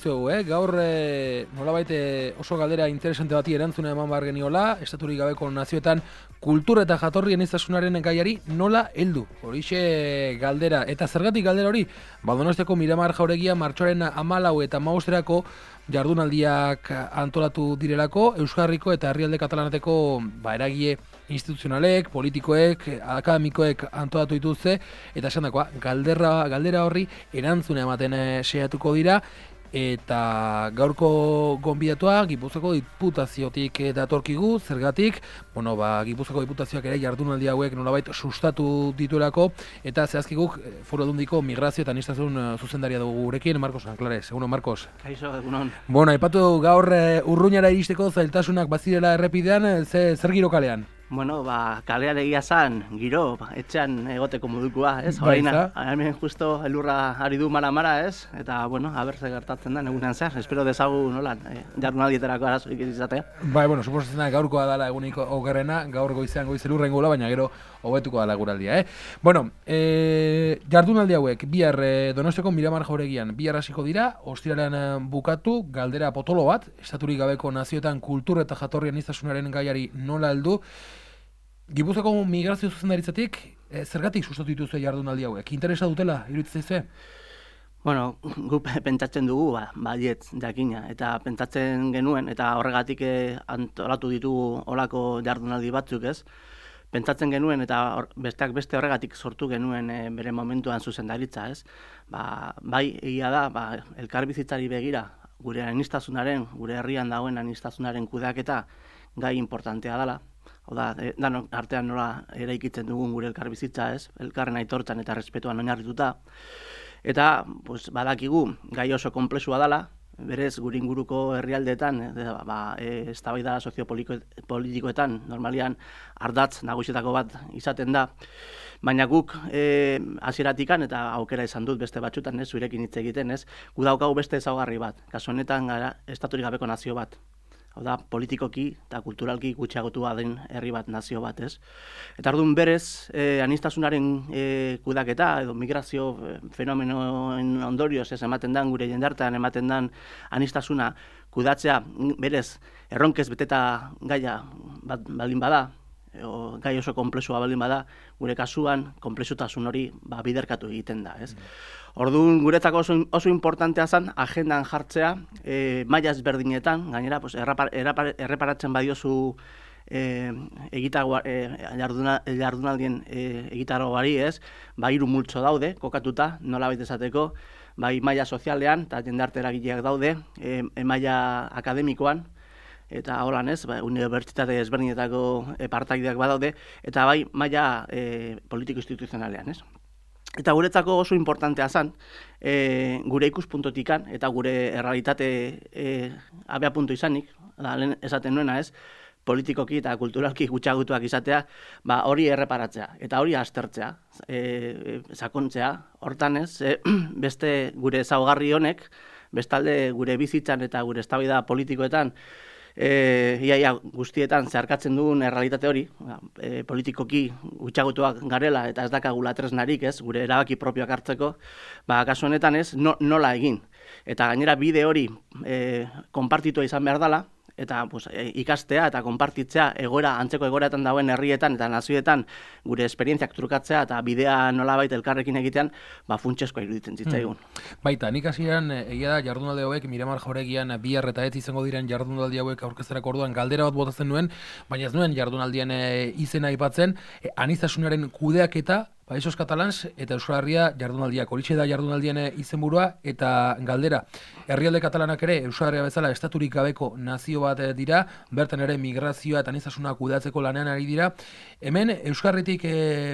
dizuegu, gaur nolabait oso galdera interesante bati erantzuna eman behar geniola, estaturik gabeko nazioetan kultur eta jatorri aniztasunaren gaiari nola heldu. Horixe galdera, eta zergatik galdera hori? Donostiako Miramar jauregia martxoaren 14 eta 15erako jardunaldiak antolatu direlako, Euskal Herriko eta herrialde katalanateko eragile instituzionalek, politikoek, akademikoek antolatu dituzte, eta esan dakoa, galdera horri erantzuna ematen saiatuko dira, eta gaurko gonbidatua Gipuzkoako Diputaziotik datorkigu, zergatik, Gipuzkoako Diputazioak ere jardunaldi hauek nolabait sustatu dituelako, eta zehazki guk Foru Aldundiko migrazio eta aniztasun zuzendaria dugu gurekin, Marcos Anclares. Egunon, Marcos. Kaixo, egunon. Aipatu gaur Urruñara iristeko zailtasunak bazirela errepidean, zer giro kalean? Kalean egia zan, giro, etxean egoteko modukoa, ez? Horaina, hemen justo elurra ari du mara, ez? Eta, haber ze gertatzen da, egunean zehar, espero dezagu nolan, jardunaldietarako arazorik izatea. Suposatzen da, gaurkoa dela eguniko okerrena, gaur goizean goiz elurren gola, baina gero hobetuko dela guraldia, jardunaldi hauek, bihar Donostiako Miramar jauregian, bihar hasiko dira, ostiralean bukatu, galdera potolo bat, estaturik gabeko nazioetan kultur eta jatorri aniztasunaren gaiari nola heldu. Gipuzkoako migrazio zuzendaritzatik, zergatik sustatu dituzue jardunaldi hauek? Interesa dutela, iruditzen zaizue? Gu pentsatzen dugu, baietz jakina, eta pentsatzen genuen, eta horregatik antolatu ditugu olako jardunaldi batzuk, ez? Pentsatzen genuen, eta besteak beste horregatik sortu genuen bere momentuan zuzendaritza, ez? Bai, egia da, elkarbizitzari begira, gure aniztasunaren, gure herrian dagoen aniztasunaren kudeaketa gai importantea dela. Danok artean nola eraikitzen dugun gure elkarbizitza, ez? Elkarren aitortzan eta respetuan oinarrituta. Eta, badakigu, gai oso konplexua dela, berez gure inguruko herrialdeetan, eztabaida soziopolitikoetan, normalian ardatz nagusietako bat izaten da, baina guk hasieratikan eta aukera izan dut beste batzutan, zurekin hitz egiten, ez? Gu daukagu beste ezaugarri bat, kasu honetan gara estaturik gabeko nazio bat. Politikoki eta kulturalki gutxiagotua den herri bat, nazio bat, ez? Eta orduan berez, aniztasunaren kudaketa edo migrazio fenomenoen ondorioz ez ematen den, gure jendartean ematen den aniztasuna kudatzea berez erronkez beteta gaia baldin bada, gai oso konplexua baldin bada, gure kasuan konplexutasun hori biderkatu egiten da, ez? Orduan, guretzako oso importantea zen agendan jartzea, maila ezberdinetan, gainera, erreparatzen badiozu jardunaldien egitaroari, ez? Hiru multzo daude, kokatuta, nolabait esateko, bai maila sozialean, eta jendarte eragileak daude, maila akademikoan, eta holan ez, unibertsitate ezberdinetako partaideak badaude, eta bai maila politiko-instituzionalean, ez? Eta guretzako oso importantea zen, gure ikuspuntotikan eta gure errealitate abiapuntu izanik, lehen esaten nuena ez, politikoki eta kulturalki gutxiagotuak izatea, hori erreparatzea eta hori aztertzea, sakontzea, hortan ez, beste gure ezaugarri honek, bestalde gure bizitzan eta gure eztabaida politikoetan, iaia guztietan zeharkatzen dugun errealitate hori, politikoki gutxiagotuak garela eta ez dakagula tresnarik, ez, gure erabaki propioak hartzeko, kasu honetan ez, nola egin. Eta gainera bide hori konpartitua izan behar dela, eta ikastea eta konpartitzea antzeko egoeratan dagoen herrietan eta nazioetan gure esperientziak trukatzea eta bidea nolabait elkarrekin egitean, funtsezkoa iruditzen zitzaigun. Baita, nik hasieran egia da jardunaldi hauek Miramar jauregian bihar eta ez izango diren jardunaldi hauek aurkezterako orduan galdera bat botatzen nuen, baina ez nuen jardunaldien izena aipatzen, aniztasunaren kudeaketa, Països Catalans eta Euskal Herria jardunaldiak. Horixe da jardunaldien izenburua eta galdera. Herrialde katalanak ere Euskal Herria bezala estaturik gabeko nazio bat dira, bertan ere migrazioa eta aniztasuna kudeatzeko lanean ari dira. Hemen Euskal Herritik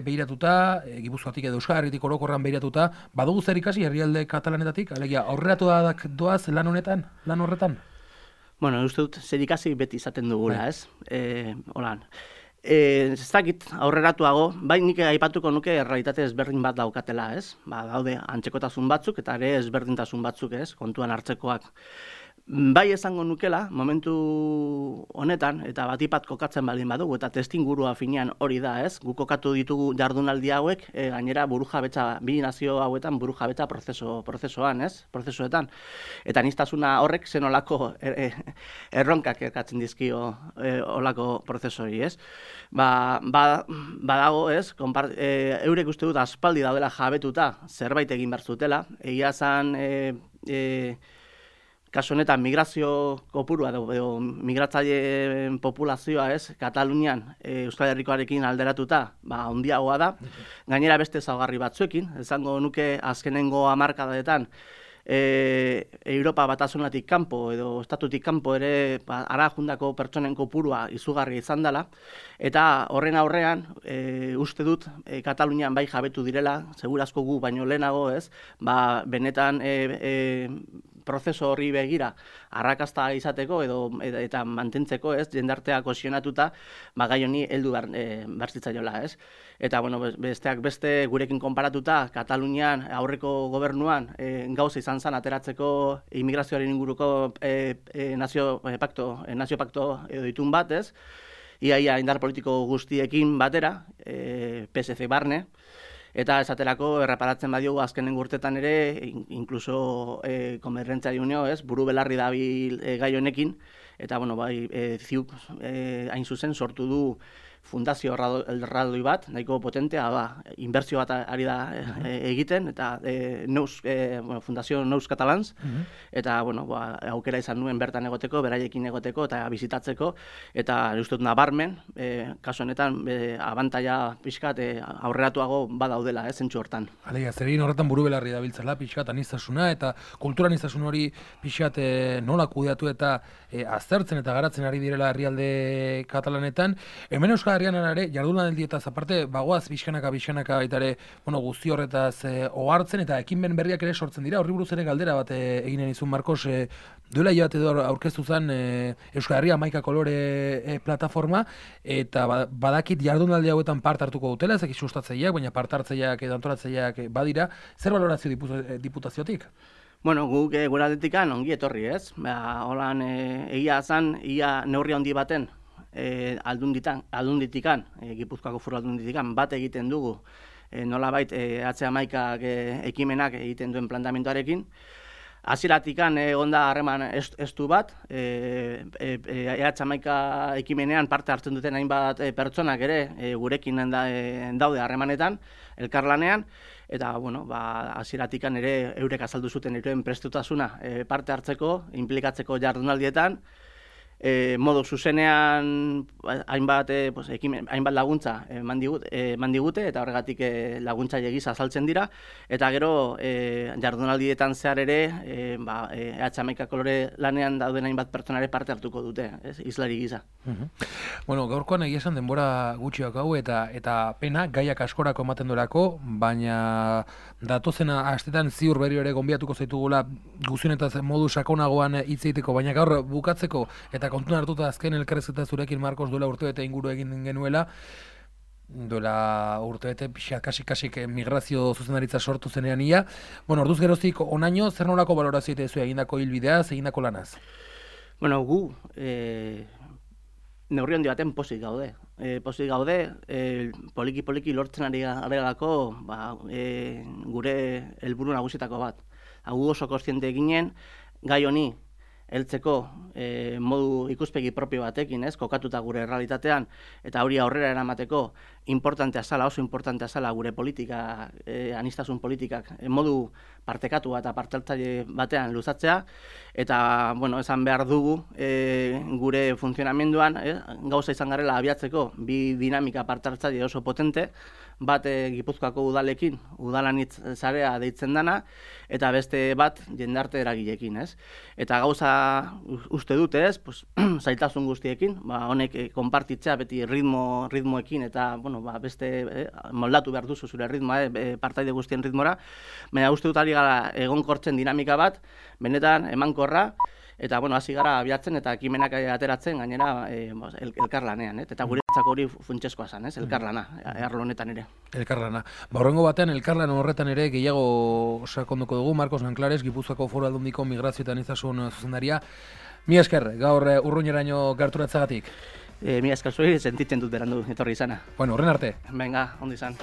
begiratuta, Gipuzkoatik edo Euskal Herritik orokorran begiratuta, badugu zer ikasi herrialde katalanetatik, alegia aurreratuak doaz lan horretan? Uste dut zer ikasi beti izaten dugula, ez? Holan. Ez dakit aurreratuago, nik aipatuko nuke errealitate ezberdin bat daukatela, ez? Daude antzekotasun batzuk eta ere ezberdintasun batzuk, ez? Kontuan hartzekoak. Bai esango nukela, momentu honetan, eta batipat kokatzen baldin badugu, eta testingurua finean hori da, ez? Gu kokatu ditugu jardunaldi hauek, gainera burujabetza, bi nazio hauetan burujabetza prozesoan, ez? Prozesuetan. Eta aniztasuna horrek zenolako erronkak ekatzen dizkio olako prozesori, ez? Badago, ez? Eurek uste dut aspaldi daudela jabetuta zerbait egin behar zutela. Egia zan, kasu honetan migrazio kopurua edo migratzaileen populazioa, ez, Katalunian Euskal Herrikoarekin alderatuta, handiagoa da. Gainera beste ezaugarri batzuekin, esango nuke azkenengo hamarkadadetan Europa batasunatik kanpo edo estatutik kanpo ere ara jundako pertsonen kopurua izugarri izan dela, eta horren aurrean uste dut Katalunian bai jabetu direla, segurazko gu baino lehenago, ez, benetan prozeso horri begira arrakasta izateko eta mantentzeko, ez, jendartea kohesionatuta, gai honi heldu behar zitzaiola, ez. Eta, bueno, besteak beste gurekin konparatuta, Katalunian aurreko gobernuan gauza izan zen ateratzeko immigrazioaren inguruko nazio pakto edo itun bat, ez. Ia indar politiko guztiekin batera, PSC barne, eta esaterako erreparatzen badiogu azkenen urtetan ere, inkluso Konbergentzia Unio, ez, buru belarri dabil gai honekin, eta, bueno, ziuk hain zuzen sortu du fundazio erraldoi bat, nahiko potentea, inbertsio bat ari da egiten, eta fundazio Nous Catalans, eta, bueno, aukera izan nuen bertan egoteko, beraiekin egoteko, eta bizitatzeko, eta uste dut nabarmen, kasu honetan, abantaila pixkat aurreratuago badaudela, zentsu hortan. Alegia, zer egin horretan buru belarri dabiltzela, pixkat aniztasuna, eta kultura aniztasun hori pixkat nola kudeatu eta aztertzen eta garatzen ari direla herrialde katalanetan. Hemen Euskal Herrian ere, jardunaldietaz aparte, bagoaz bizkanaka baitare, guzti horretaz ohartzen eta ekinben berriak ere sortzen dira. Horri buruz ere galdera bat eginen izun, Markos, duela hilabete aurkeztu zen Euskal Herria 11 kolore plataforma, eta badakit jardunaldi hauetan parte hartuko dutela, ezak sustatzaileak, baina parte hartzaileak edo antolatzaileak badira. Zer valorazio diputaziotik? Bueno, guk gure aldetikan ongi etorri, ez? Holan egia zan, ia neurri handi baten aldunditikan, Gipuzkoako Foru Aldunditikan bat egiten dugu, nolabait H11ak ekimenak egiten duen plantamenduarekin. Hasieratik egonda harreman estu bat, H11 ekimenean parte hartzen duten hainbat pertsonak ere gurekin daude harremanetan, elkarlanean, eta, bueno, hasieratik ere eurek azaldu zuten euren prestutasuna parte hartzeko, inplikatzeko jardunaldietan, modu zuzenean hainbat laguntza eman digute, eta horregatik laguntzaile gisa azaltzen dira, eta gero jardunaldietan zehar ere H11 kolore lanean dauden hainbat pertsonare parte hartuko dute, islari gisa. Bueno, gaurkoan egia esan denbora gutxi daukagu eta pena gaiak askorako ematen dorako, baina datozena astetan ziur berriro ere gonbiatuko zaitugula guztionetaz modu sakonagoan hitz egiteko, baina gaur bukatzeko eta kontuan hartuta azken elkarrizketa zurekin, Markos, duela urtebete inguru egin genuela, duela urtebete kasik migrazio zuzendaritza sortu zenean ia. Bueno, orduz geroztik onaino, zer nolako balorazio egitezu egindako hilbideaz, egindako lanaz? Bueno, gu neurri handi baten pozik gaude. Poliki lortzen ari garelako gure helburu nagusietako bat. Gu oso kontziente ginen, gai honi heltzeko modu ikuspegi propio batekin, kokatuta gure errealitatean, eta hori aurrera eramateko oso importantea zala gure politika, aniztasun politikak, modu partekatu eta partehartzaile batean luzatzea, eta, bueno, esan behar dugu gure funtzionamenduan, gauza izan garela abiatzeko bi dinamika partehartzaile oso potente, bat Gipuzkoako udalekin, udalanitz sarea deitzen dana, eta beste bat jendarte eragileekin, ez? Eta gauza uste dute, ez? Zailtasun guztiekin, honek konpartitzea beti ritmoekin eta, bueno, beste moldatu behar duzu zure ritmoa, partaide guztien ritmora, baina uste dut ari gara egonkortzen dinamika bat, benetan emankorra, Eta, bueno, hasi gara abiatzen eta ekimenak ateratzen gainera elkarlanean, eta guretzako hori funtsezkoa zen, elkarlana, arlo honetan ere. Elkarlana. Horrengo batean, elkarlan horretan ere gehiago sakonduko dugu, Marcos Nanclares, Gipuzkoako Foru Aldundiko Migrazio eta Aniztasun zuzendaria. Mila esker, gaur urruñeraino gerturatzagatik. Mila esker zuri, sentitzen dut berandu etorri izana. Bueno, horren arte. Venga, ondo izan.